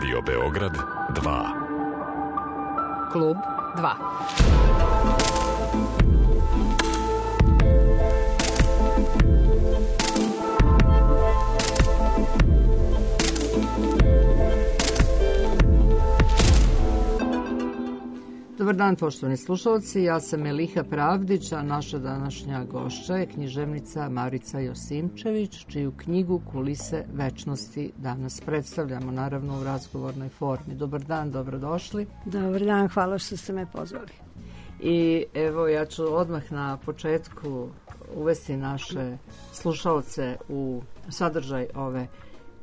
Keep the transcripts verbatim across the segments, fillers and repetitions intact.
Radio Beograd dva. Klub dva. Dobar dan, poštovani slušalci, ja sam Eliha Pravdić, a naša današnja gošća je književnica Marica Josimčević, čiju knjigu Kulise večnosti danas predstavljamo, naravno u razgovornoj formi. Dobar dan, dobrodošli. Dobar dan, hvala što ste me pozvali. I evo, ja ću odmah na početku uvesti naše slušalce u sadržaj ove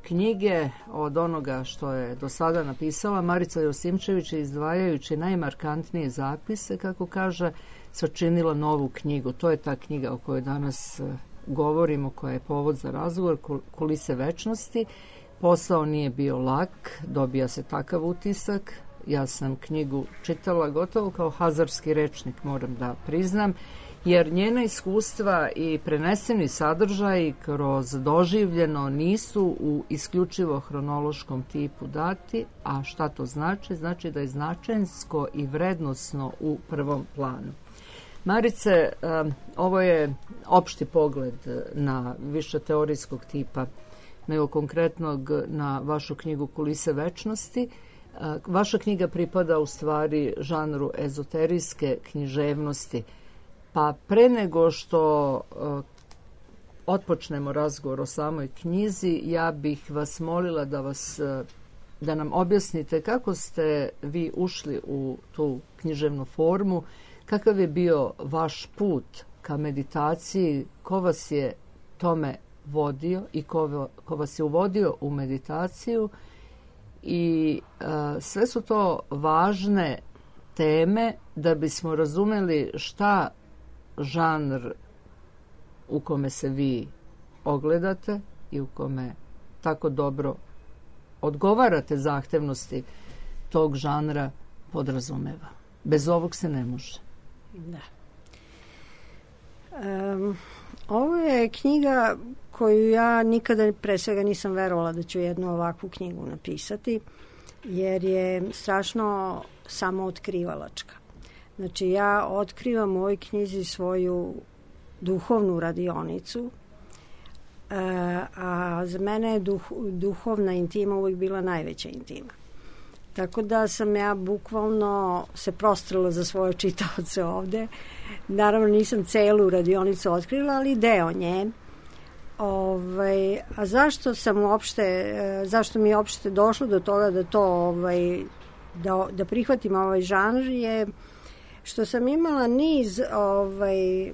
knjige. Od onoga što je do sada napisala Marica Josimčević, izdvajajući najmarkantnije zapise, kako kaže, sačinila novu knjigu. To je ta knjiga o kojoj danas govorimo, koja je povod za razgovor, Kulise večnosti. Posao nije bio lak, dobija se takav utisak. Ja sam knjigu čitala gotovo kao hazarski rečnik, moram da priznam, jer njena iskustva i preneseni sadržaji kroz doživljeno nisu u isključivo hronološkom tipu dati, a šta to znači? Znači da je značajnsko i vrednosno u prvom planu. Marice, ovo je opšti pogled na više teorijskog tipa nego konkretnog na vašu knjigu Kulise večnosti. Vaša knjiga pripada u stvari žanru ezoterijske književnosti. Pa pre nego što uh, otpočnemo razgovor o samoj knjizi, ja bih vas molila da vas uh, da nam objasnite kako ste vi ušli u tu književnu formu, kakav je bio vaš put ka meditaciji, ko vas je tome vodio i ko, ko vas je uvodio u meditaciju, i uh, sve su to važne teme da bismo razumeli šta žanr u kome se vi ogledate i u kome tako dobro odgovarate zahtevnosti tog žanra podrazumeva. Bez ovog se ne može. Da. Um, ovo je knjiga koju ja nikada pre svega nisam verovala da ću jednu ovakvu knjigu napisati, jer je strašno samootkривalačka. Znači, ja otkrivam u ovoj knjizi svoju duhovnu radionicu, a za mene je duh, duhovna intima uvijek bila najveća intima. Tako da sam ja bukvalno se prostrala za svoje čitaoce ovde. Naravno, nisam celu radionicu otkrila, ali deo nje. Ovaj, a zašto sam uopšte, zašto mi je uopšte došlo do toga da to, ovaj, da, da prihvatim ovaj žanr, je što sam imala niz ovaj,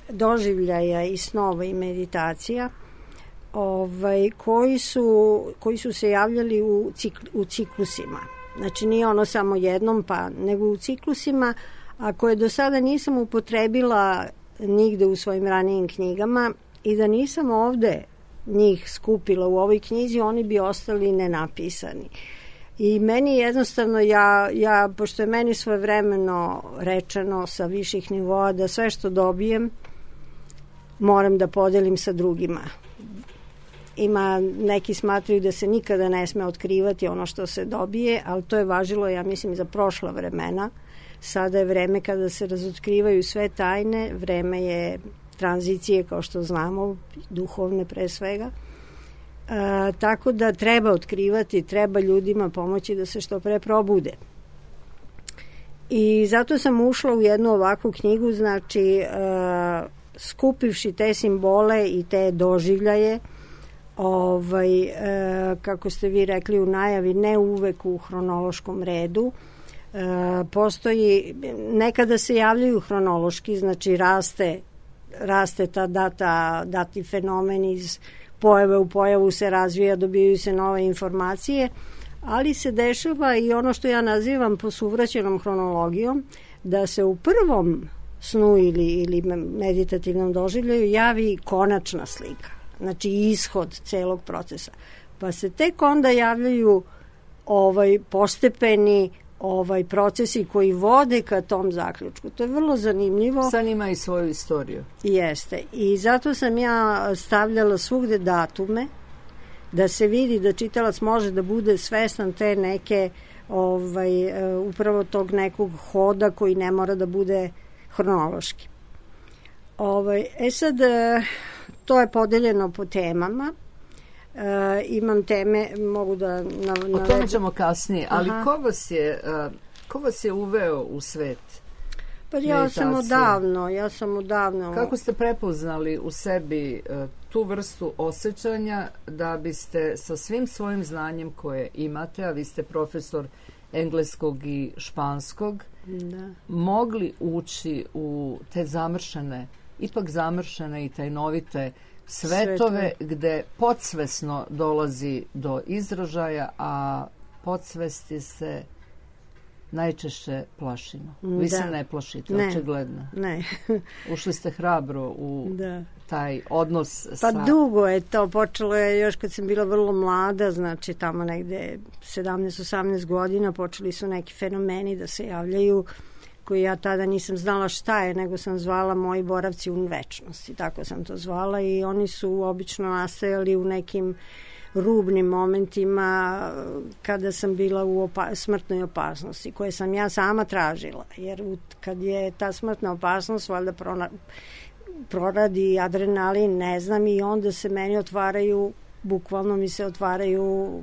doživljaja i snova i meditacija ovaj, koji, su, koji su se javljali u, cikl, u ciklusima. Znači nije ono samo jednom, pa nego u ciklusima, a koje do sada nisam upotrebila nigde u svojim ranijim knjigama, i da nisam ovde njih skupila u ovoj knjizi, oni bi ostali nenapisani. I meni jednostavno, ja, ja, pošto je meni svojevremeno rečeno sa viših nivoa da sve što dobijem moram da podelim sa drugima. Ima, neki smatraju da se nikada ne sme otkrivati ono što se dobije, ali to je važilo, ja mislim, za prošla vremena. Sada je vreme kada se razotkrivaju sve tajne, vreme je tranzicije, kao što znamo, duhovne pre svega. E, tako da treba otkrivati, treba ljudima pomoći da se što pre probude. I zato sam ušla u jednu ovakvu knjigu, znači e, skupivši te simbole i te doživljaje, ovaj, e, kako ste vi rekli u najavi, ne uvek u hronološkom redu. E, postoji, nekada se javljaju hronološki, znači raste raste ta data, dati fenomen iz pojave u pojavu se razvija, dobijaju se nove informacije, ali se dešava i ono što ja nazivam posuvraćenom hronologijom, da se u prvom snu ili, ili meditativnom doživljaju javi konačna slika, znači ishod celog procesa. Pa se tek onda javljaju ovaj postepeni ovaj procesi koji vode ka tom zaključku. To je vrlo zanimljivo. Sad ima i svoju istoriju. Jeste. I zato sam ja stavljala svugde datume da se vidi da čitalac može da bude svestan te neke ovaj, upravo tog nekog hoda koji ne mora da bude hronološki. Ovaj, e sad, to je podeljeno po temama. E, imam teme, mogu da navedem. O tome ćemo kasnije, ali ko vas, je, ko vas je uveo u svet Pa ja meditacije? sam odavno, ja sam odavno... Kako ste prepoznali u sebi tu vrstu osjećanja da biste sa svim svojim znanjem koje imate, a vi ste profesor engleskog i španskog, da. mogli ući u te zamršene, ipak zamršene i tajnovite svetove, Svetove. gde podsvesno dolazi do izražaja, a podsvesti se najčešće plašimo. Vi da. se ne plašite, ne. očigledno. Ne. Ušli ste hrabro u da. taj odnos pa sa... Pa dugo je to, počelo je još kad sam bila vrlo mlada, znači tamo negde sedamnaest osamnaest godina, počeli su neki fenomeni da se javljaju, koji ja tada nisam znala šta je, nego sam zvala moji boravci u večnosti, tako sam to zvala, i oni su obično nastajali u nekim rubnim momentima kada sam bila u opa- smrtnoj opasnosti, koje sam ja sama tražila, jer u, kad je ta smrtna opasnost valjda prona, proradi adrenalin, ne znam, i onda se meni otvaraju, bukvalno mi se otvaraju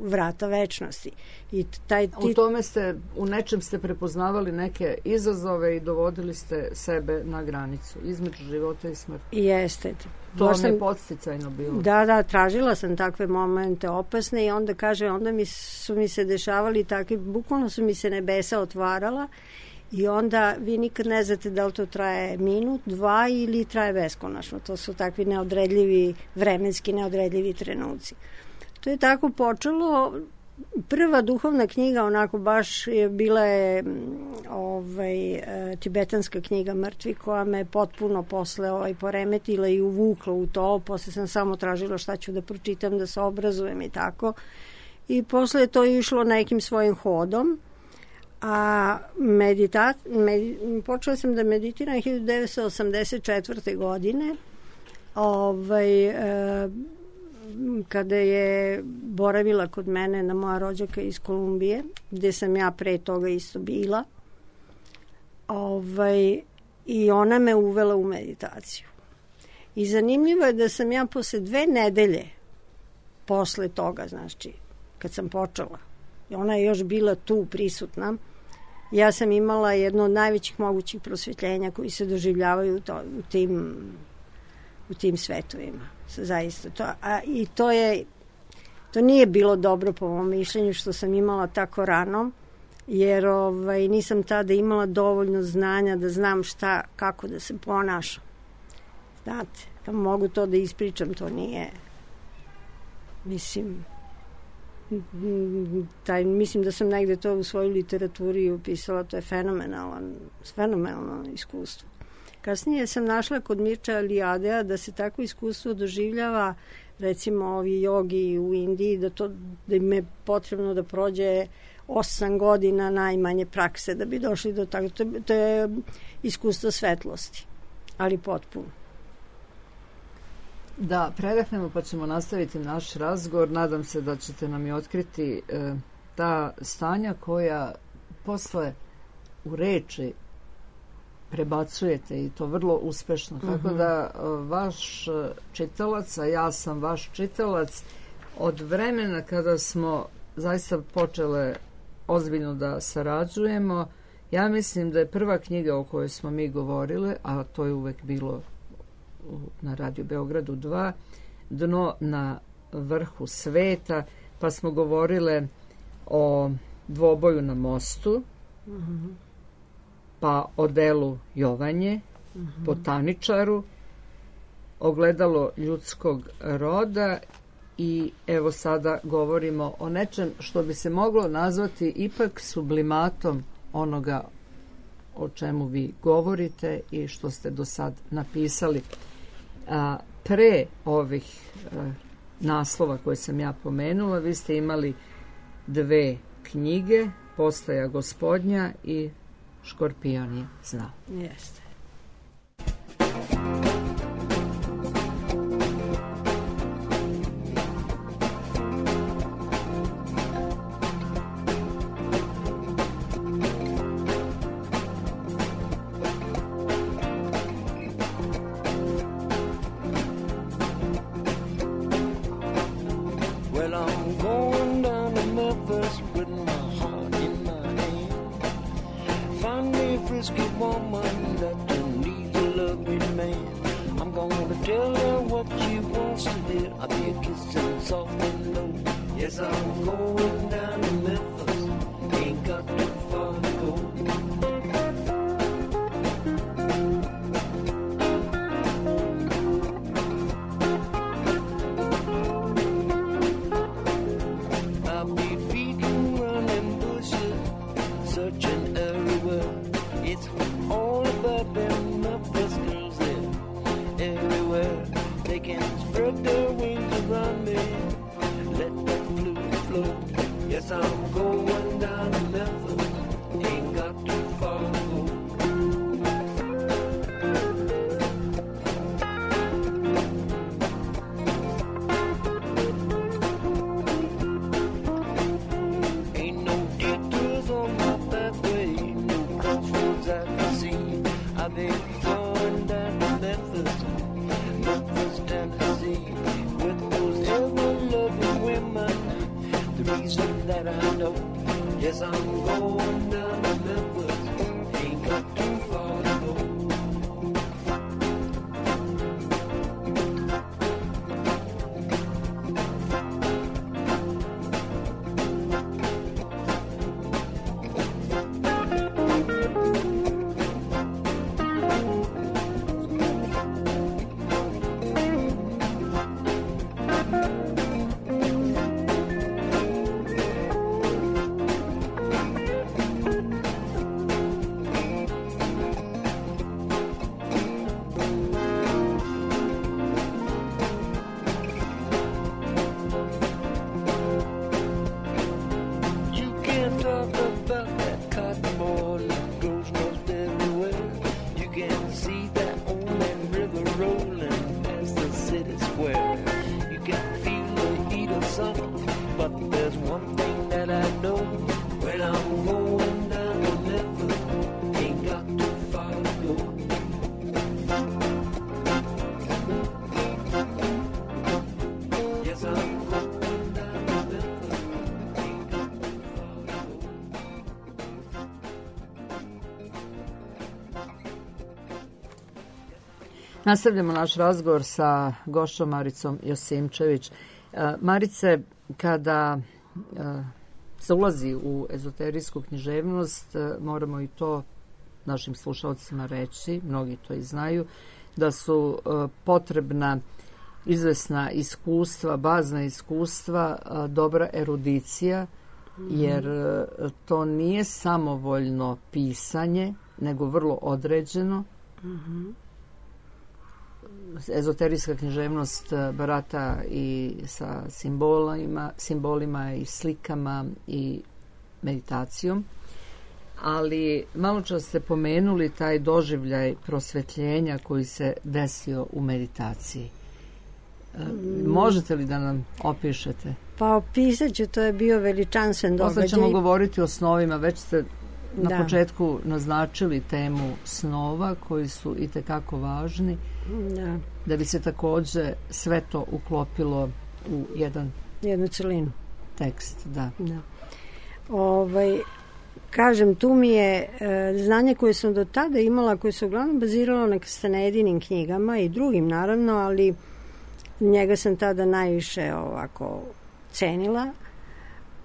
vrata večnosti. I taj tit... U tome ste, u nečem ste prepoznavali neke izazove i dovodili ste sebe na granicu između života i smrti. Jeste. To vam je podsticajno bilo. Da, da, tražila sam takve momente opasne i onda kaže, onda mi su mi se dešavali takvi, bukvalno su mi se nebesa otvarala i onda vi nikad ne znate da li to traje minut, dva ili traje beskonačno. To su takvi neodredljivi, vremenski neodredljivi trenuci. To je tako počelo. Prva duhovna knjiga onako baš je bila je ovaj, e, tibetanska knjiga Mrtvi, koja me potpuno posle ovaj, poremetila i uvukla u to. Posle sam samo tražila šta ću da pročitam, da se obrazujem i tako. I posle je to išlo nekim svojim hodom. A medita, med, počela sam da meditiram hiljadu devetsto osamdeset četvrte. godine. Ovaj... E, kada je boravila kod mene na moja rođaka iz Kolumbije, gde sam ja pre toga isto bila. Ovaj, i ona me uvela u meditaciju. I zanimljivo je da sam ja posle dve nedelje posle toga, znači, kad sam počela, i ona je još bila tu prisutna, ja sam imala jedno od najvećih mogućih prosvjetljenja koji se doživljavaju u, to, u tim u tim svetovima. Zaista. To, a, I to je to nije bilo dobro po mom mišljenju što sam imala tako rano, jer ovaj, nisam tada imala dovoljno znanja da znam šta, kako da se ponašam. Znate, da mogu to da ispričam, to nije, mislim, taj, mislim da sam negde to u svojoj literaturi upisala, to je fenomenalan, fenomenalno iskustvo. Kasnije sam našla kod Mirča Eliadea da se tako iskustvo doživljava, recimo ovi jogi u Indiji, da, to, da im je potrebno da prođe osam godina najmanje prakse da bi došli do tako. To, to je iskustvo svetlosti, ali potpuno. Da, predahnemo pa ćemo nastaviti naš razgovor. Nadam se da ćete nam i otkriti e, ta stanja koja posle u reči prebacujete i to vrlo uspešno. Uh-huh. Tako da vaš čitalac, a ja sam vaš čitalac, od vremena kada smo zaista počele ozbiljno da sarađujemo, ja mislim da je prva knjiga o kojoj smo mi govorile, a to je uvek bilo na Radio Beogradu dva, Dno na vrhu sveta, pa smo govorile o dvoboju na mostu, uh-huh. pa o delu Jovanje, uh-huh. botaničaru, ogledalo ljudskog roda i evo sada govorimo o nečem što bi se moglo nazvati ipak sublimatom onoga o čemu vi govorite i što ste do sad napisali. A, pre ovih a, naslova koje sam ja pomenula, vi ste imali dve knjige, Postaja gospodnja i Škorpion je znao. Jeste. gonna tell her what she wants to hear. I'll be kissing soft and low. Yes, I'm going down to Memphis. Ain't got too far to go. I'll be feeding, running bushes, searching everywhere. It's all about them Memphis girls there. Everywhere they can spread their wings around me. Let that blue flow. Yes, I'm going down to Memphis. Ain't got too far to go. Ain't no detours on my pathway, no crossroads I can see. I've been going down to Memphis, Memphis, Tennessee, with those ever-loving women. The reason that I know, yes, I'm going down to Memphis. Ain't got too far to go. You can't talk about that cotton ball that grows most everywhere. You can see that old river rolling past the city square. You can feel the heat of summer, but there's one thing that I know. When I'm going down to Memphis, ain't got too far to go. Yes, I'm going down to Memphis. Ain't got too far to go. Nastavljamo naš razgovor sa gošćom Maricom Josimčević. E, Marice, kada e, se ulazi u ezoterijsku književnost, e, moramo i to našim slušalcima reći, mnogi to i znaju, da su e, potrebna izvesna iskustva, bazna iskustva, e, dobra erudicija, jer e, to nije samovoljno pisanje, nego vrlo određeno. Ezoterijska književnost barata i sa simbolima, simbolima i slikama i meditacijom. Ali malo čas ste pomenuli taj doživljaj prosvetljenja koji se desio u meditaciji. Možete li da nam opišete? Pa opisat ću, to je bio veličanstven događaj. Posle ćemo govoriti o snovima, već ste na Da. početku naznačili temu snova koji su i tekako važni, Da, da bi se takođe sve to uklopilo u jedan jednu celinu. tekst. Da. Da. Ovaj, kažem, tu mi je e, znanje koje sam do tada imala, koje se uglavnom baziralo na Kastanedinim knjigama i drugim naravno, ali njega sam tada najviše ovako cenila.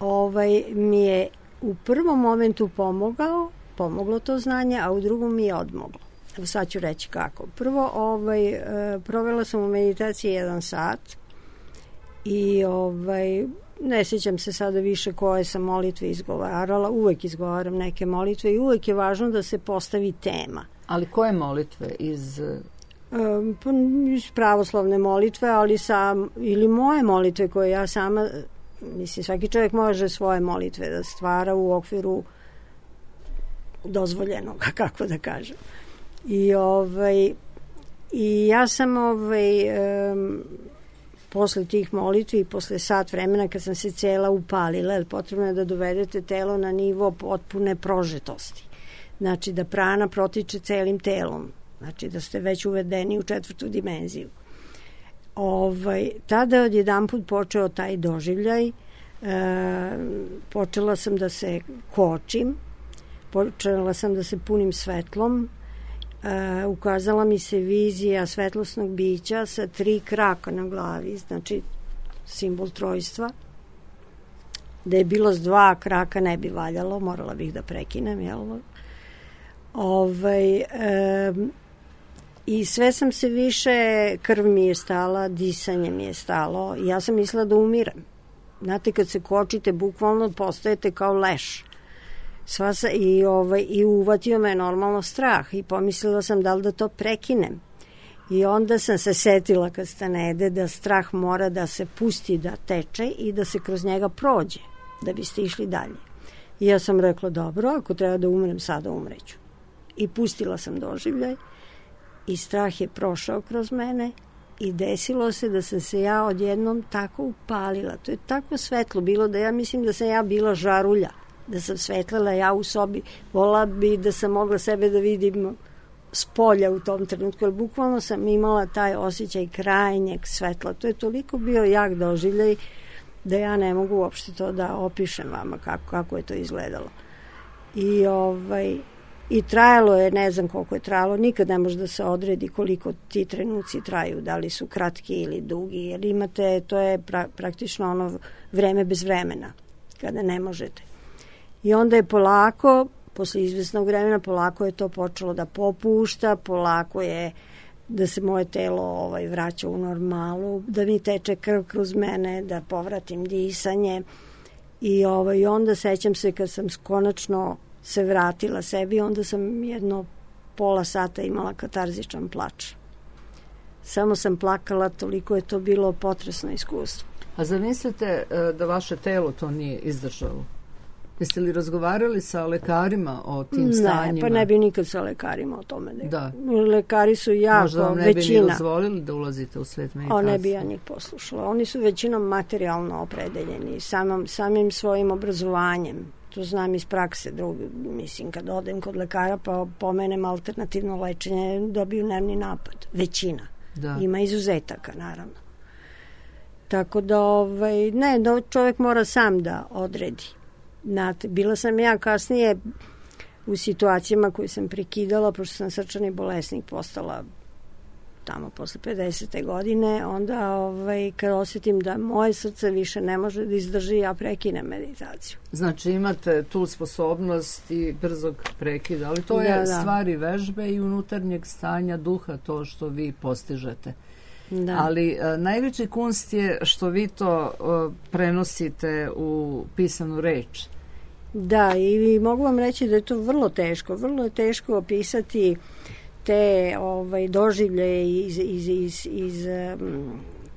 Ovaj, mi je u prvom momentu pomogao, pomoglo to znanje, a u drugom mi je odmoglo. Evo sad ću reći kako. Prvo, ovaj, e, provela sam u meditaciji jedan sat i ovaj, ne sjećam se sada više koje sam molitve izgovarala, uvek izgovaram neke molitve i uvek je važno da se postavi tema. Ali koje molitve iz... E, pa, iz pravoslavne molitve, ali sam, ili moje molitve koje ja sama, mislim, svaki čovjek može svoje molitve da stvara u okviru dozvoljenog, kako da kažem. I ovaj i ja sam ovaj um, posle tih molitvi i posle sat vremena kad sam se cela upalila, jer potrebno je da dovedete telo na nivo potpune prožetosti. Znači da prana protiče celim telom. Znači da ste već uvedeni u četvrtu dimenziju. Ovaj, tada je odjedanput počeo taj doživljaj. E, počela sam da se kočim, počela sam da se punim svetlom, e, ukazala mi se vizija svetlosnog bića sa tri kraka na glavi, znači simbol trojstva. Da je bilo s dva kraka ne bi valjalo, morala bih da prekinem, jel? Ovaj, e, I sve sam se više, krv mi je stala, disanje mi je stalo. Ja sam mislila da umirem. Znate, kad se kočite, bukvalno postajete kao leš. Sva sa, i, ovaj, I uvatio me normalno strah i pomislila sam da li da to prekinem. I onda sam se setila kad stanede da strah mora da se pusti da teče i da se kroz njega prođe, da biste išli dalje. I ja sam rekla, dobro, ako treba da umrem, sada umreću. I pustila sam doživljaj i strah je prošao kroz mene i desilo se da sam se ja odjednom tako upalila. To je tako svetlo bilo da ja mislim da sam ja bila žarulja, da sam svetlila ja u sobi. Volila bi da sam mogla sebe da vidim s polja u tom trenutku, jer bukvalno sam imala taj osjećaj krajnjeg svetla. To je toliko bio jak doživljaj da ja ne mogu uopšte to da opišem vama kako, kako je to izgledalo. I ovaj... I trajalo je, ne znam koliko je trajalo, nikad ne može da se odredi koliko ti trenuci traju, da li su kratki ili dugi, jer imate, to je pra, praktično ono vreme bez vremena, kada ne možete. I onda je polako, posle izvesnog vremena, polako je to počelo da popušta, polako je da se moje telo ovaj, vraća u normalu, da mi teče krv kroz mene, da povratim disanje. I ovaj, onda sećam se kad sam konačno se vratila sebi, onda sam jedno pola sata imala katarzičan plač. Samo sam plakala, toliko je to bilo potresno iskustvo. A zamislite da vaše telo to nije izdržalo? Jeste li razgovarali sa lekarima o tim ne, stanjima? Ne, pa ne bi nikad sa lekarima o tome. Ne. Da. Lekari su jako, možda vam ne većina. bi ni dozvolili da ulazite u svet meditacije? O, ne bi ja njih poslušala. Oni su većinom materijalno opredeljeni, samim, samim svojim obrazovanjem. To znam iz prakse. Drugi, mislim, kad odem kod lekara pa pomenem alternativno lečenje, dobiju nervni napad. Većina. Da. Ima izuzetaka, naravno. Tako da, ovaj, ne, da čovjek mora sam da odredi. Znate, bila sam ja kasnije u situacijama koje sam prekidala, pošto sam srčani bolesnik postala tamo posle pedesete godine, onda ovaj, kad osjetim da moje srce više ne može da izdrži, ja prekinem meditaciju. Znači imate tu sposobnost i brzog prekida, ali to da, je da. stvari vežbe i unutarnjeg stanja duha, to što vi postižete. Da. Ali a, najveći kunst je što vi to a, prenosite u pisanu reč. Da, i mogu vam reći da je to vrlo teško. Vrlo je teško opisati te ovaj, doživlje iz, iz, iz, iz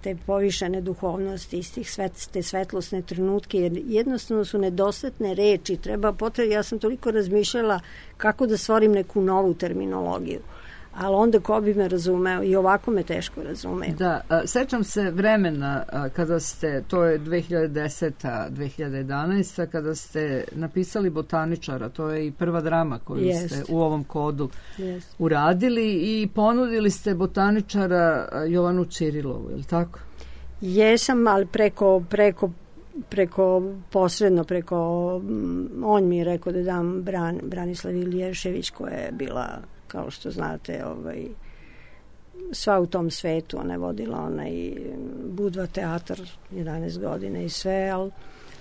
te povišene duhovnosti, iz tih svet, te svetlosne trenutke, jer jednostavno su nedostatne reči. Treba potrebe, ja sam toliko razmišljala kako da stvorim neku novu terminologiju. Ali onda ko bi me razumeo, i ovako me teško razumeo. Da, a, sećam se vremena a, kada ste, to je dve hiljade deseta dve hiljade jedanaesta kada ste napisali Botaničara, to je i prva drama koju Jest. ste u ovom kodu Jest. uradili i ponudili ste Botaničara Jovanu Ćirilovu, je li tako? Jesam, ali preko, preko, preko posredno, preko, on mi je rekao da dam Bran, Branislav Iliješević koja je bila, kao što znate, ovaj, sva u tom svetu. Ona je vodila onaj Budva teatar jedanaest godine i sve, ali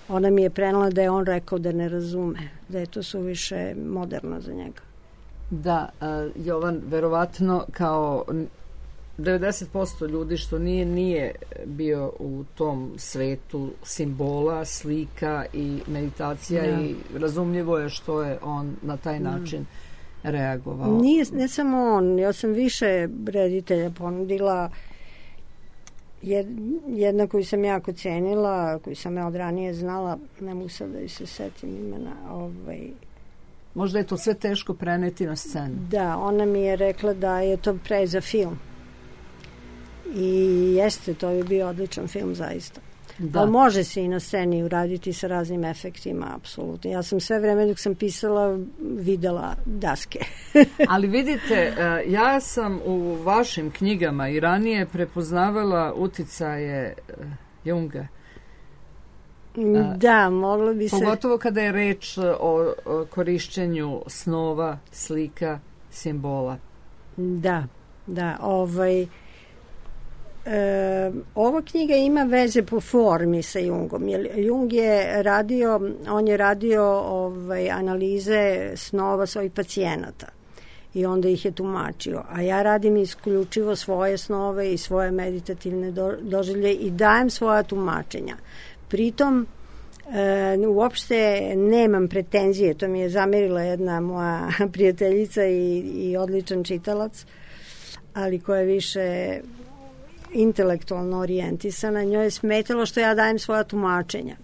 ona mi je prenela da je on rekao da ne razume, da je to suviše moderno za njega. Da, uh, Jovan, verovatno kao devedeset posto ljudi što nije, nije bio u tom svetu simbola, slika i meditacija da. I razumljivo je što je on na taj način da. reagovao. Nije, ne samo on, ja sam više reditelja ponudila. Jedna koju sam jako cenila, koju sam ja od ranije znala, ne mogu sad da se setim imena. Ovaj. Možda je to sve teško preneti na scenu. Da, ona mi je rekla da je to pre za film. I jeste, to je bio odličan film zaista. Da. Ali može se i na sceni uraditi sa raznim efektima, apsolutno. Ja sam sve vreme dok sam pisala videla daske. Ali vidite, ja sam u vašim knjigama i ranije prepoznavala uticaje Junga. Da, moglo bi se... Pogotovo kada je reč o korišćenju snova, slika, simbola. Da, da. Ovaj, e, ova knjiga ima veze po formi sa Jungom. Jer Jung je radio, on je radio ovaj, analize snova svojih pacijenata i onda ih je tumačio. A ja radim isključivo svoje snove i svoje meditativne do, doživlje i dajem svoja tumačenja. Pritom E, uopšte nemam pretenzije, to mi je zamerila jedna moja prijateljica i, i odličan čitalac, ali koja je više intelektualno orijentisana. Njoj je smetalo što ja dajem svoja tumačenja.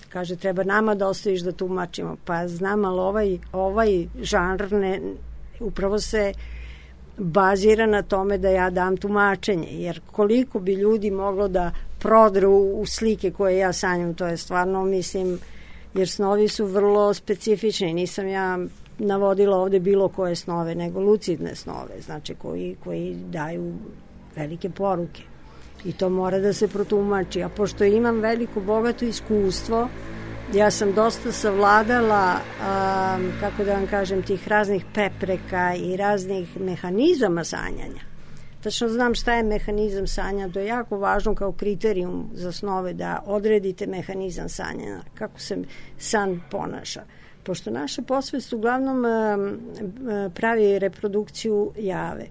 Kaže, treba nama da ostaviš da tumačimo. Pa znam, ali ovaj, ovaj žanr ne, upravo se bazira na tome da ja dam tumačenje, jer koliko bi ljudi moglo da prodru u slike koje ja sanjam, to je stvarno, mislim, jer snovi su vrlo specifični. Nisam ja navodila ovde bilo koje snove, nego lucidne snove, znači koji, koji daju velike poruke. I to mora da se protumači. A pošto imam veliko, bogato iskustvo, ja sam dosta savladala, a, kako da vam kažem, tih raznih prepreka i raznih mehanizama sanjanja. Tačno znam šta je mehanizam sanjanja, to je jako važno kao kriterijum za snove, da odredite mehanizam sanjanja, kako se san ponaša. Pošto naša posvest uglavnom pravi reprodukciju jave.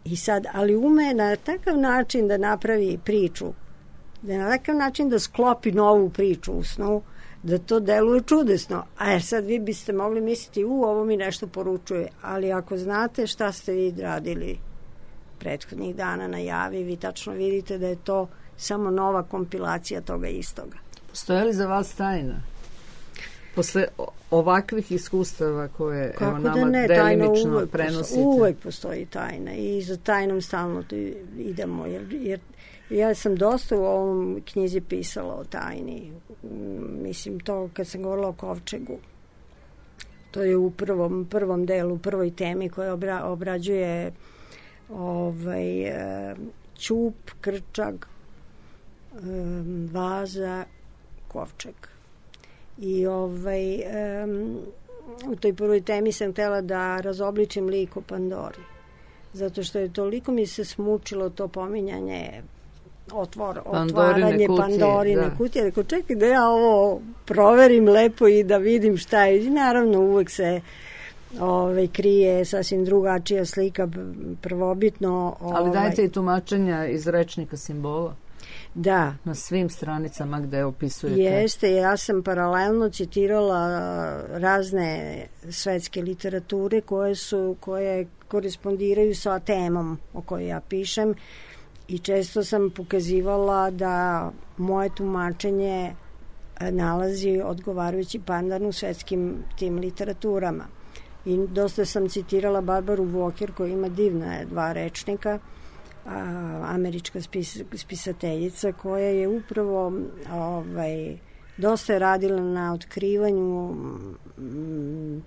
I sad, ali ume na takav način da napravi priču, da na takav način da sklopi novu priču u snu, da to deluje čudesno. A sad vi biste mogli misliti, u, ovo mi nešto poručuje, ali ako znate šta ste vi radili prethodnih dana na javi, vi tačno vidite da je to samo nova kompilacija toga istoga. Postoje li za vas tajna? Posle ovakvih iskustava koje Kako evo, nama da ne, delimično uvek prenosite? Postoji, uvek postoji tajna i za tajnom stalno idemo, jer, jer ja sam dosta u ovom knjizi pisala o tajni. Mislim, to kad sam govorila o kovčegu, to je u prvom, prvom delu, prvoj temi koja obra, obrađuje ovaj, ćup, krčag, vaza, kovčeg. I ovaj, um, u toj prvoj temi sam htjela da razobličim lik o Pandori. Zato što je toliko mi se smučilo to pominjanje otvor, otvaranje Pandorine kutije. Rekao, čekaj da ja ovo proverim lepo i da vidim šta je. I naravno uvek se ovaj, krije sasvim drugačija slika, prvobitno. Ovaj, Ali dajte i tumačenja iz rečnika simbola. Da. Na svim stranicama gde opisujete. Jeste, ja sam paralelno citirala razne svetske literature koje su, koje korespondiraju sa temom o kojoj ja pišem i često sam pokazivala da moje tumačenje nalazi odgovarajući pandan u svetskim tim literaturama. I dosta sam citirala Barbaru Walker koja ima divna dva rečnika, a, američka spis, spisateljica koja je upravo ovaj, dosta je radila na otkrivanju m,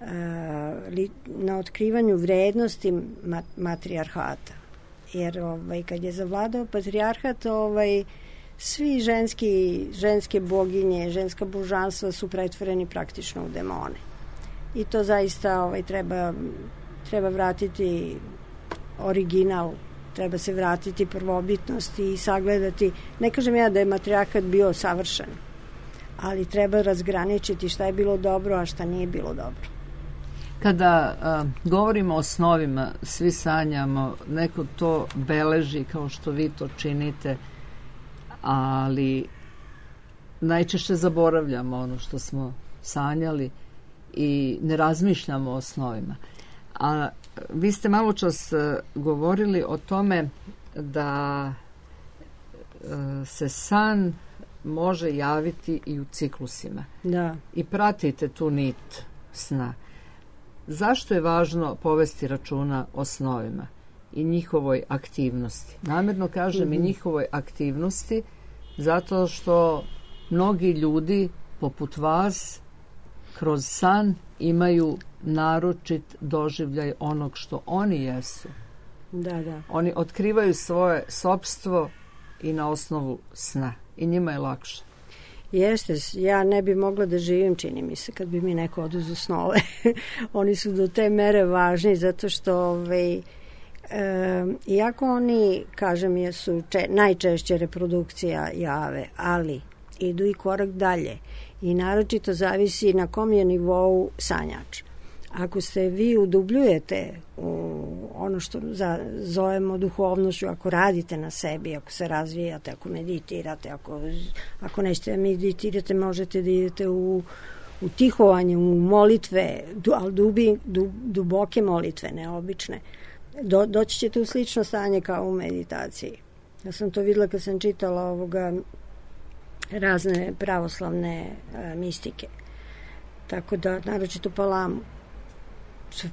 a, li, na otkrivanju vrednosti mat, matrijarhata. Jer ovaj, kad je zavladao patrijarhat, ovaj, svi ženski, ženske boginje, ženska božanstva su pretvoreni praktično u demone. I to zaista ovaj, treba, treba vratiti original, treba se vratiti prvobitnosti i sagledati. Ne kažem ja da je matrijarhat bio savršen, ali treba razgraničiti šta je bilo dobro, a šta nije bilo dobro. Kada a, govorimo o snovima, svi sanjamo, neko to beleži kao što vi to činite, ali najčešće zaboravljamo ono što smo sanjali i ne razmišljamo o snovima. A vi ste malo čas govorili o tome da se san može javiti i u ciklusima. Da. I pratite tu nit sna. Zašto je važno povesti računa o snovima i njihovoj aktivnosti? Namjerno kažem mm-hmm. i njihovoj aktivnosti zato što mnogi ljudi poput vas kroz san imaju naročit doživljaj onog što oni jesu. Da, da. Oni otkrivaju svoje sopstvo i na osnovu sna. I njima je lakše. Jeste, ja ne bi mogla da živim, čini mi se, kad bi mi neko oduzu snove. Oni su do te mere važni, zato što ovaj, e, iako oni, kažem, jesu če, najčešće reprodukcija jave, ali idu i korak dalje i naročito zavisi na kom je nivou sanjač. Ako se vi udubljujete u ono što za, zovemo duhovnošću, ako radite na sebi, ako se razvijate, ako meditirate, ako, ako nećete da meditirate, možete da idete u, u tihovanje, u molitve, du, ali dubi, du, duboke molitve, neobične. Do, doći ćete u slično stanje kao u meditaciji. Ja sam to videla kad sam čitala ovoga razne pravoslavne a, mistike. Tako da, naročito Palamu.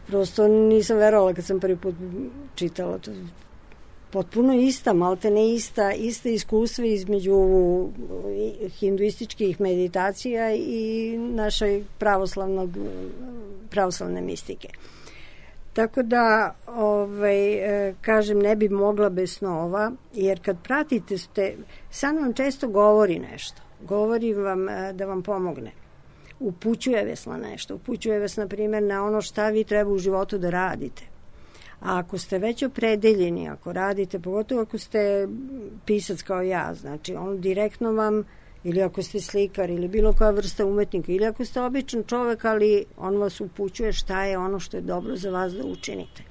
Prosto nisam verovala kad sam prvi put čitala to. Potpuno ista, malte ne ista, ista iskustva između hinduističkih meditacija i našoj pravoslavnog, pravoslavne mistike. Tako da, ovaj, kažem, ne bi mogla bez snova, jer kad pratite, ste, san vam često govori nešto. Govori vam da vam pomogne. Upućuje vas na nešto. Upućuje vas, na primjer, na ono šta vi treba u životu da radite. A ako ste već opredeljeni, ako radite, pogotovo ako ste pisac kao ja, znači on direktno vam, ili ako ste slikar, ili bilo koja vrsta umetnika, ili ako ste običan čovek, ali on vas upućuje šta je ono što je dobro za vas da učinite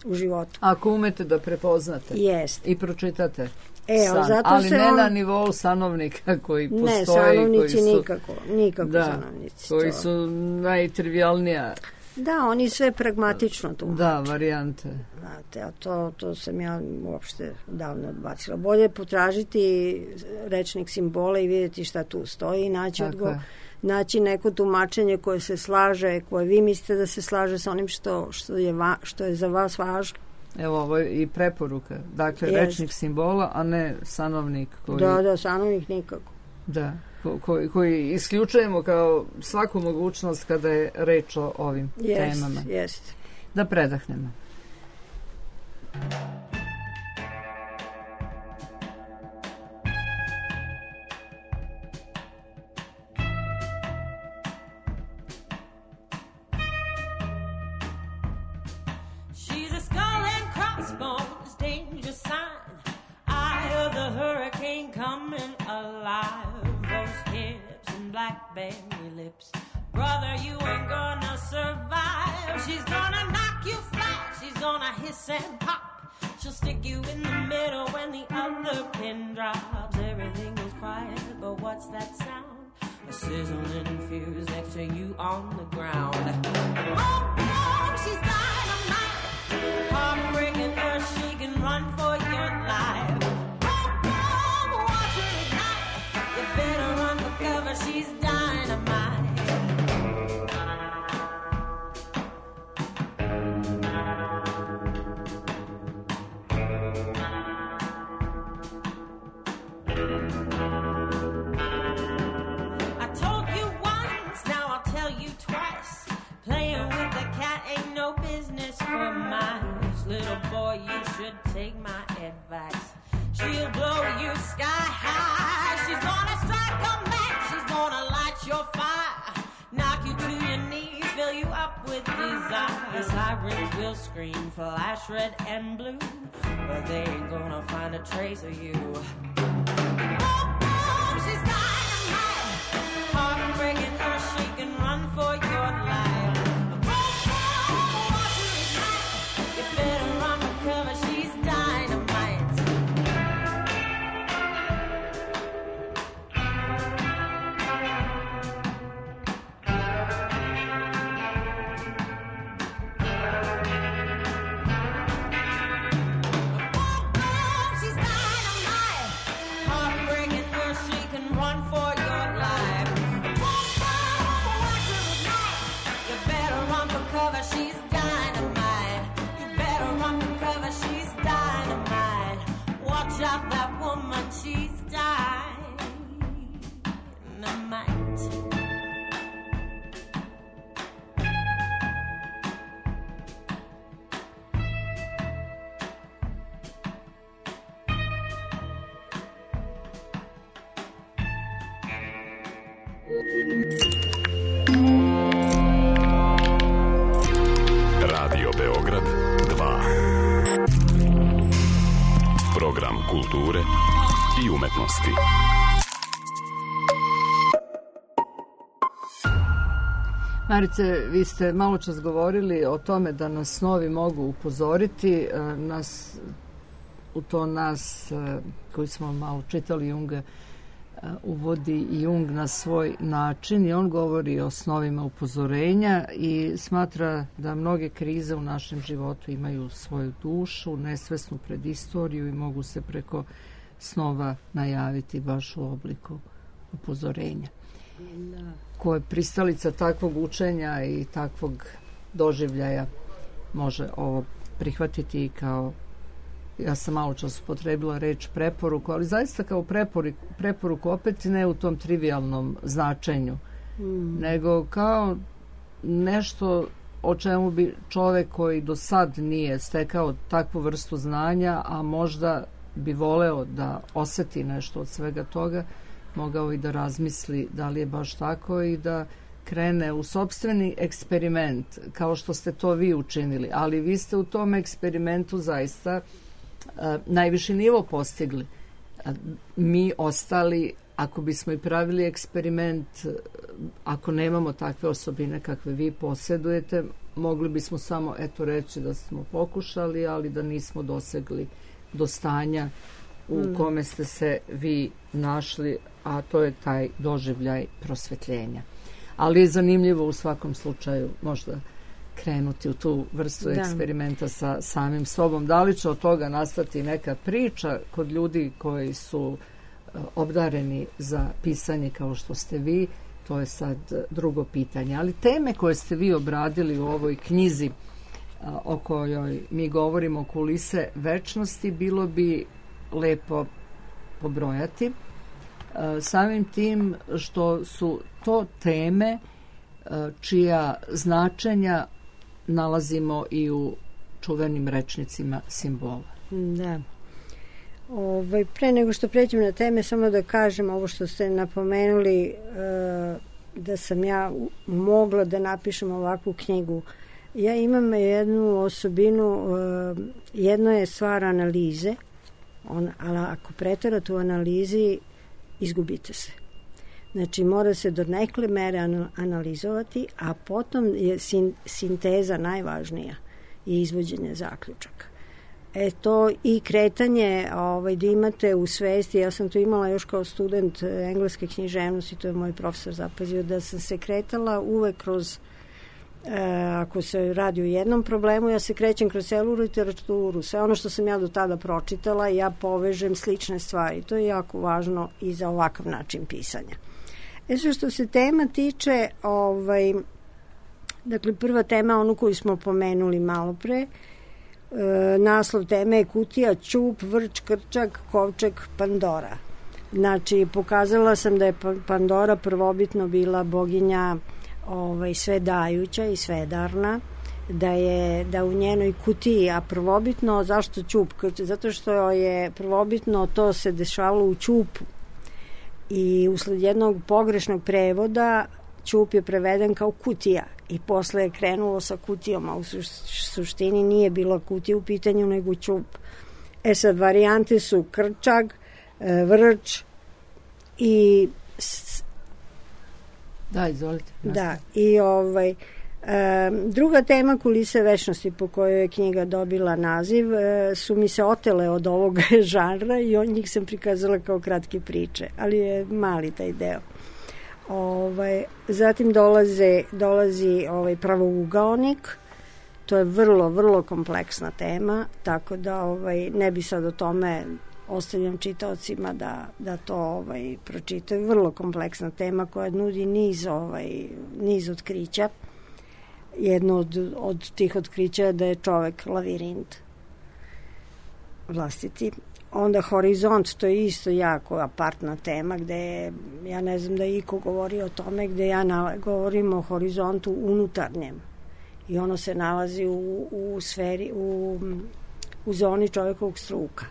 u životu. Ako umete da prepoznate Jest. i pročitate E, san, zato ali se ne on... na nivou sanovnika koji postoji. Ne, sanovnici koji su, nikako, nikako da, sanovnici. koji to. su najtrivialnija. Da, oni sve pragmatično tu. Da, varijante. Znate, a to, to sam ja uopšte davno odbacila. Bolje potražiti rečnik simbola i vidjeti šta tu stoji i naći, odgo, naći neko tumačenje koje se slaže, koje vi mislite da se slaže sa onim što, što, je, va, što je za vas važno. Evo, ovo je i preporuka. Dakle, Jest. rečnik simbola, a ne sanovnik. Koji, da, da, sanovnik nikako. Da, ko, koji, koji isključujemo kao svaku mogućnost kada je reč o ovim Jest, temama. Jest. Da predahnemo. Coming alive, those hips and blackberry lips. Brother, you ain't gonna survive. She's gonna knock you flat. She's gonna hiss and pop. She'll stick you in the middle when the other pin drops. Everything goes quiet, but what's that sound? A sizzling fuse next to you on the ground. Boom, boom, she's dynamite. Heartbreaking her, she can run for your life. Better run for cover, she's dynamite. I told you once, now I'll tell you twice. Playing with the cat ain't no business for mice. Little boy, you should take my advice. She'll blow you sky high. She's gonna strike a match. She's gonna light your fire. Knock you to your knees, fill you up with desire. Sirens will scream, flash red and blue, but they ain't gonna find a trace of you. Boom, boom, she's dynamite. Heartbreaking her, she can run for your life. Boom, boom, watch her ignite. You better run for cover, she's dynamite. She's dynamite. You better run for cover, she's dynamite. Watch out, that woman, she's dynamite. Program kulture i umetnosti. Marice, vi ste malo čas govorili o tome da nas snovi mogu upozoriti. Nas, u to nas, koji smo malo čitali Junga, uvodi Jung na svoj način i on govori o snovima upozorenja i smatra da mnoge krize u našem životu imaju svoju dušu, nesvesnu predistoriju i mogu se preko snova najaviti baš u obliku upozorenja. Da. Ko je pristalica takvog učenja i takvog doživljaja može ovo prihvatiti kao, ja sam malo čas upotrebila reč preporuku, ali zaista kao preporuku, preporuku opet ne u tom trivialnom značenju, mm. nego kao nešto o čemu bi čovek koji do sad nije stekao takvu vrstu znanja, a možda bi voleo da oseti nešto od svega toga, mogao i da razmisli da li je baš tako i da krene u sopstveni eksperiment, kao što ste to vi učinili. Ali vi ste u tom eksperimentu zaista a, najviši nivo postigli. A, mi ostali, ako bismo i pravili eksperiment, ako nemamo takve osobine kakve vi posjedujete, mogli bismo samo eto reći da smo pokušali, ali da nismo dosegli do stanja u mm. kome ste se vi našli, a to je taj doživljaj prosvetljenja. Ali je zanimljivo u svakom slučaju možda krenuti u tu vrstu da. eksperimenta sa samim sobom. Da li će od toga nastati neka priča kod ljudi koji su uh, obdareni za pisanje kao što ste vi, to je sad drugo pitanje. Ali teme koje ste vi obradili u ovoj knjizi uh, o kojoj mi govorimo, Kulise večnosti, bilo bi lepo pobrojati. Samim tim što su to teme čija značenja nalazimo i u čuvenim rečnicima simbola. Da. Ovaj, pre nego što pređem na teme, samo da kažem ovo što ste napomenuli, da sam ja mogla da napišem ovakvu knjigu. Ja imam jednu osobinu, jedno je stvar analize, on, ali ako preterate u analizi, izgubite se. Znači, mora se do nekle mere analizovati, a potom je sin, sinteza najvažnija i izvođenje zaključaka. E to i kretanje ovaj, da imate u svesti, ja sam to imala još kao student engleske književnosti, to je moj profesor zapazio, da sam se kretala uvek kroz, e, ako se radi o jednom problemu, ja se krećem kroz celu literaturu, sve ono što sam ja do tada pročitala, ja povežem slične stvari. To je jako važno i za ovakav način pisanja. E sve što se tema tiče, ovaj, dakle prva tema, onu koju smo pomenuli malo pre, e, naslov teme je Kutija, ćup, vrč, krčak, kovčeg, Pandora. Znači, pokazala sam da je Pandora prvobitno bila boginja ovaj, svedajuća i svedarna, da je da u njenoj kutiji, a prvobitno, zašto ćup? Zato što je prvobitno to se dešavalo u ćupu i usled jednog pogrešnog prevoda ćup je preveden kao kutija i posle je krenulo sa kutijom, a u suštini nije bila kutija u pitanju nego ćup. E sad, varijante su krčag, vrč i da, izvolite. Da, i ovaj e, druga tema Kulise večnosti po kojoj je knjiga dobila naziv e, su mi se otele od ovog žanra i on njih sam prikazala kao kratke priče, ali je mali taj deo. Ovaj, zatim dolaze, dolazi ovaj pravougaonik, to je vrlo, vrlo kompleksna tema, tako da ovaj, ne bi sad o tome, ostavljam čitaocima da, da to ovaj, pročitaju. Vrlo kompleksna tema koja nudi niz, ovaj, niz otkrića. Jedno od, od tih otkrića je da je čovek lavirint vlastiti. Onda horizont, to je isto jako apartna tema gde je, ja ne znam da je iko govori o tome, gde ja na, govorim o horizontu unutarnjem i ono se nalazi u, u sferi, u, u zoni čovekovog struka.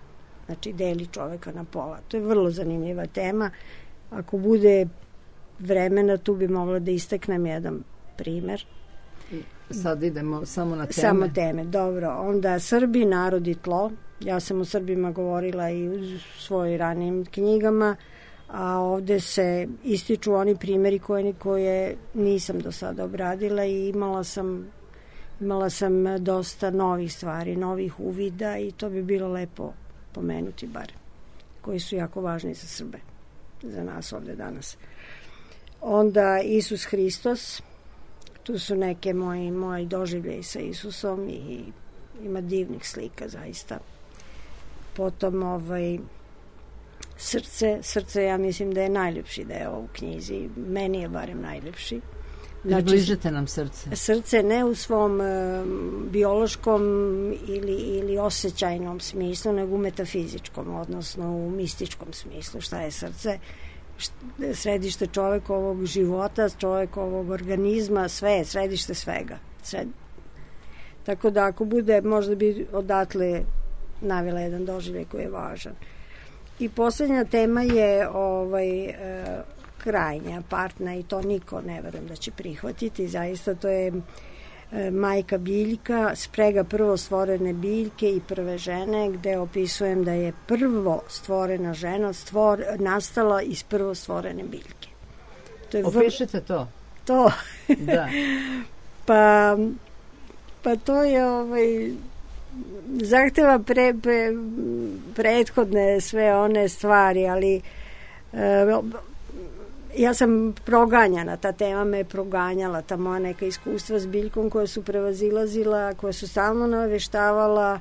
Znači, deli čoveka na pola. To je vrlo zanimljiva tema. Ako bude vremena, tu bi mogla da istaknem jedan primer. Sad idemo samo na teme. Samo teme, dobro. Onda Srbi, narod i tlo. Ja sam o Srbima govorila i u svojim ranijim knjigama, a ovde se ističu oni primjeri koje, koje nisam do sada obradila i imala sam, imala sam dosta novih stvari, novih uvida i to bi bilo lepo pomenuti bar, koji su jako važni za Srbe, za nas ovde danas. Onda Isus Hristos, tu su neke moji, moji doživljaji sa Isusom i ima divnih slika zaista. Potom ovaj srce, srce ja mislim da je najljepši deo u knjizi, meni je barem najljepši. Znači, bližete nam srce. Srce ne u svom e, biološkom ili, ili osjećajnom smislu, nego u metafizičkom, odnosno u mističkom smislu. Šta je srce? Središte čovekovog života, čovekovog organizma, sve je središte svega. Sred... Tako da ako bude, možda bi odatle navela jedan doživljaj koji je važan. I posljednja tema je ovaj, e, krajnja partna i to niko ne verujem da će prihvatiti. Zaista to je e, majka biljka, sprega prvo stvorene biljke i prve žene, gde opisujem da je prvo stvorena žena stvor, nastala iz prvo stvorene biljke. To je Opišite to. To. Da. pa, pa to je ovaj... zahteva pre, pre, prethodne sve one stvari, ali e, ja sam proganjana, ta tema me je proganjala, ta moja neka iskustva s biljkom koja su prevazilazila, koja su stalno naveštavala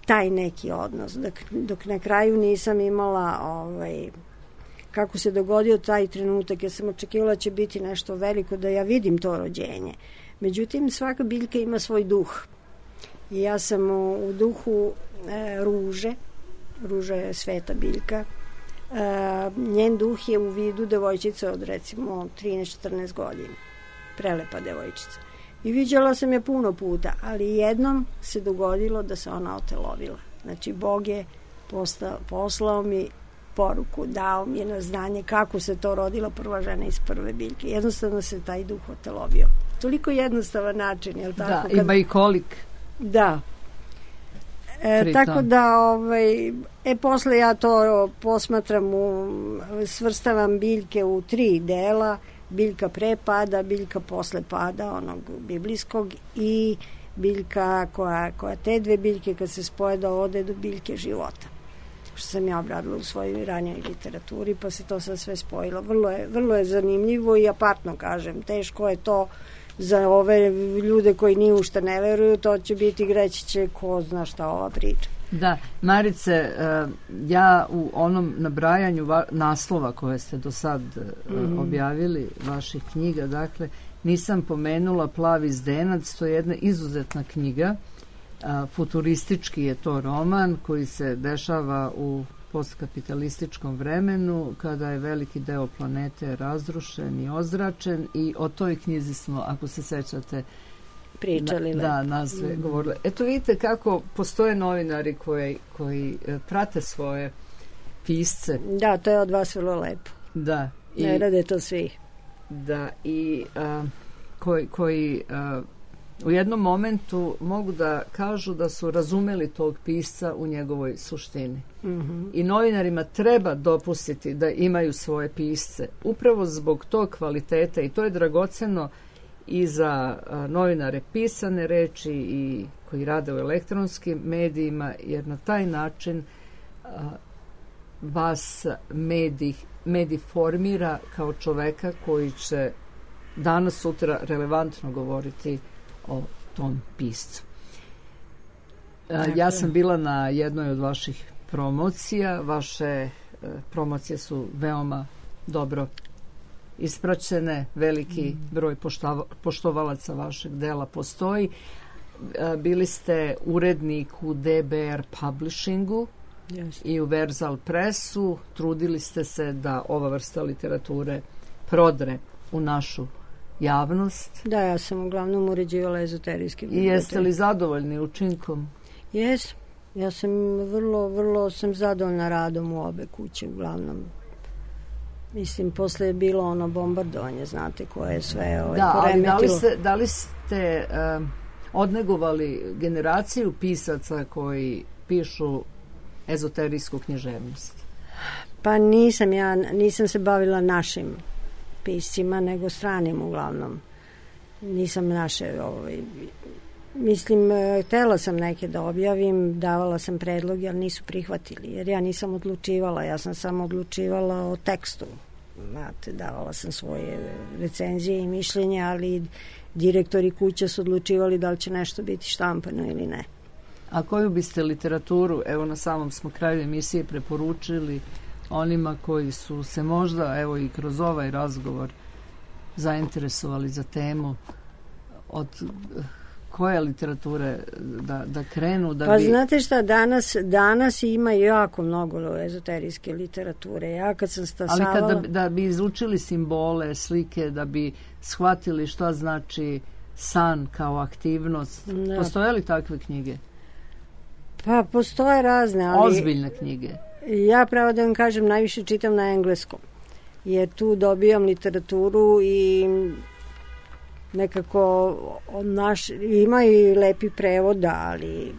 taj neki odnos, dok, dok na kraju nisam imala ovaj, kako se dogodio taj trenutak, ja sam očekivala da će biti nešto veliko, da ja vidim to rođenje. Međutim, svaka biljka ima svoj duh. I ja sam u, u duhu e, ruže, ruža je sveta biljka, e, njen duh je u vidu devojčice od recimo trinaest četrnaest godina, prelepa devojčica. I viđala sam je puno puta, ali jednom se dogodilo da se ona otelovila. Znači, Bog je posta, poslao mi poruku, dao mi je na znanje kako se to rodila prva žena iz prve biljke. Jednostavno se taj duh otelovio. Toliko jednostavan način, je li tako? Da, kad... ima i kolik. Da. E, tako da ovaj, e posle ja to posmatram u, svrstavam biljke u tri dela, biljka pre pada, biljka posle pada onog biblijskog i biljka koja, koja te dve biljke kad se spoje da ode do biljke života, što sam ja obradila u svojoj ranijoj literaturi, pa se to sad sve spojilo. Vrlo je, vrlo je zanimljivo i apartno kažem, teško je to za ove ljude koji ni u šta ne veruju, to će biti greći će ko zna šta ova priča. Da, Marice, ja u onom nabrajanju naslova koje ste do sad mm-hmm. objavili, vaših knjiga, dakle, nisam pomenula Plavi zdenac, to je jedna izuzetna knjiga, futuristički je to roman koji se dešava u postkapitalističkom vremenu, kada je veliki deo planete razrušen i ozračen, i o toj knjizi smo, ako se sećate, pričali. Na, da, nazve mm. govorili. Eto vidite kako postoje novinari koji, koji prate svoje pisce. Da, to je od vas vrlo lepo. Da. I, ne rade to svi. Da, i a, koji, koji a, u jednom momentu mogu da kažu da su razumeli tog pisca u njegovoj suštini. Mm-hmm. I novinarima treba dopustiti da imaju svoje pisce. Upravo zbog tog kvaliteta, i to je dragoceno i za a, novinare pisane reči i koji rade u elektronskim medijima, jer na taj način a, vas medij, medij formira kao čoveka koji će danas sutra relevantno govoriti o tom piscu. A, ja sam bila na jednoj od vaših promocija. Vaše e, promocije su veoma dobro ispraćene, veliki mm. broj poštava, poštovalaca vašeg dela postoji. E, bili ste urednik u D B R Publishingu yes. i u Verzal Pressu. Trudili ste se da ova vrsta literature prodre u našu javnost. Da, ja sam uglavnom uređivala ezoterijske biblioteke. I jeste li zadovoljni učinkom? Jes. Ja sam vrlo, vrlo sam zadovoljna radom u obe kuće uglavnom. Mislim, posle je bilo ono bombardovanje, znate, koje je sve ovaj, da, poremetilo. Ali da li ste, da li ste uh, odnegovali generaciju pisaca koji pišu ezoterijsku književnost? Pa nisam ja, nisam se bavila našim piscima, nego stranim uglavnom. Nisam naše, ovaj, mislim, htela sam neke da objavim, davala sam predloge, ali nisu prihvatili, jer ja nisam odlučivala, ja sam samo odlučivala o tekstu. Znate, davala sam svoje recenzije i mišljenja, ali direktori kuća su odlučivali da li će nešto biti štampano ili ne. A koju biste literaturu, evo na samom smo kraju emisije, preporučili onima koji su se možda, evo i kroz ovaj razgovor, zainteresovali za temu, od koje literature da, da krenu? Da pa bi... znate šta, danas, danas ima jako mnogo ezoterijske literature. Ja kad sam stasavala... Ali kad da, da bi izučili simbole, slike, da bi shvatili šta znači san kao aktivnost, da. Postoje li takve knjige? Pa postoje razne, ali... Ozbiljne knjige. Ja pravo da vam kažem, najviše čitam na engleskom. Jer tu dobijam literaturu i nekako naš, ima i lepi prevoda, ali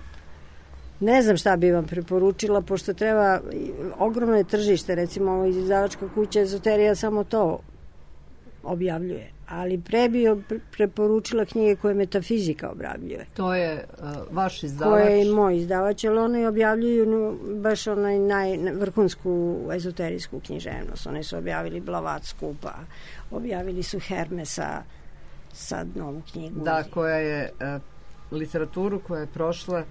ne znam šta bi vam preporučila, pošto treba, ogromno je tržište, recimo ovo izdavačka kuća Ezoterija samo to objavljuje, ali pre bi preporučila knjige koje metafizika objavljuje. To je uh, vaš izdavač? Koje je moj izdavač, ali oni objavljuju no, baš onaj najvrhunsku ezoterijsku književnost. Oni su objavili Blavatsku, pa objavili su Hermesa, sad novu knjigu. Da, koja je uh, literaturu koja je prošla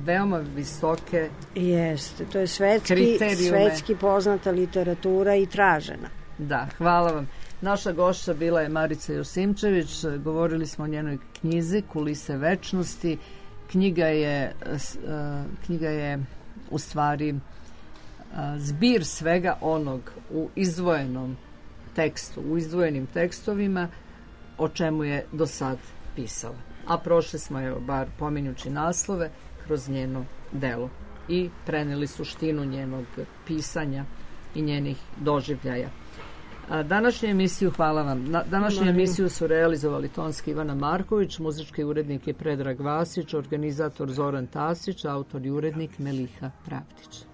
veoma visoke Jeste, to je svetski, svetski poznata literatura i tražena. Da, hvala vam. Naša gošća bila je Marica Josimčević, govorili smo o njenoj knjizi Kulise večnosti. Knjiga je, knjiga je u stvari zbir svega onog u izdvojenom tekstu, u izdvojenim tekstovima o čemu je do sad pisala. A prošli smo, evo, bar pominjući naslove, kroz njeno delo i preneli suštinu njenog pisanja i njenih doživljaja. Današnju emisiju, hvala vam, današnju Marim. emisiju su realizovali tonski Ivana Marković, muzički urednik je Predrag Vasić, organizator Zoran Tasić, autor i urednik Meliha Pravdić.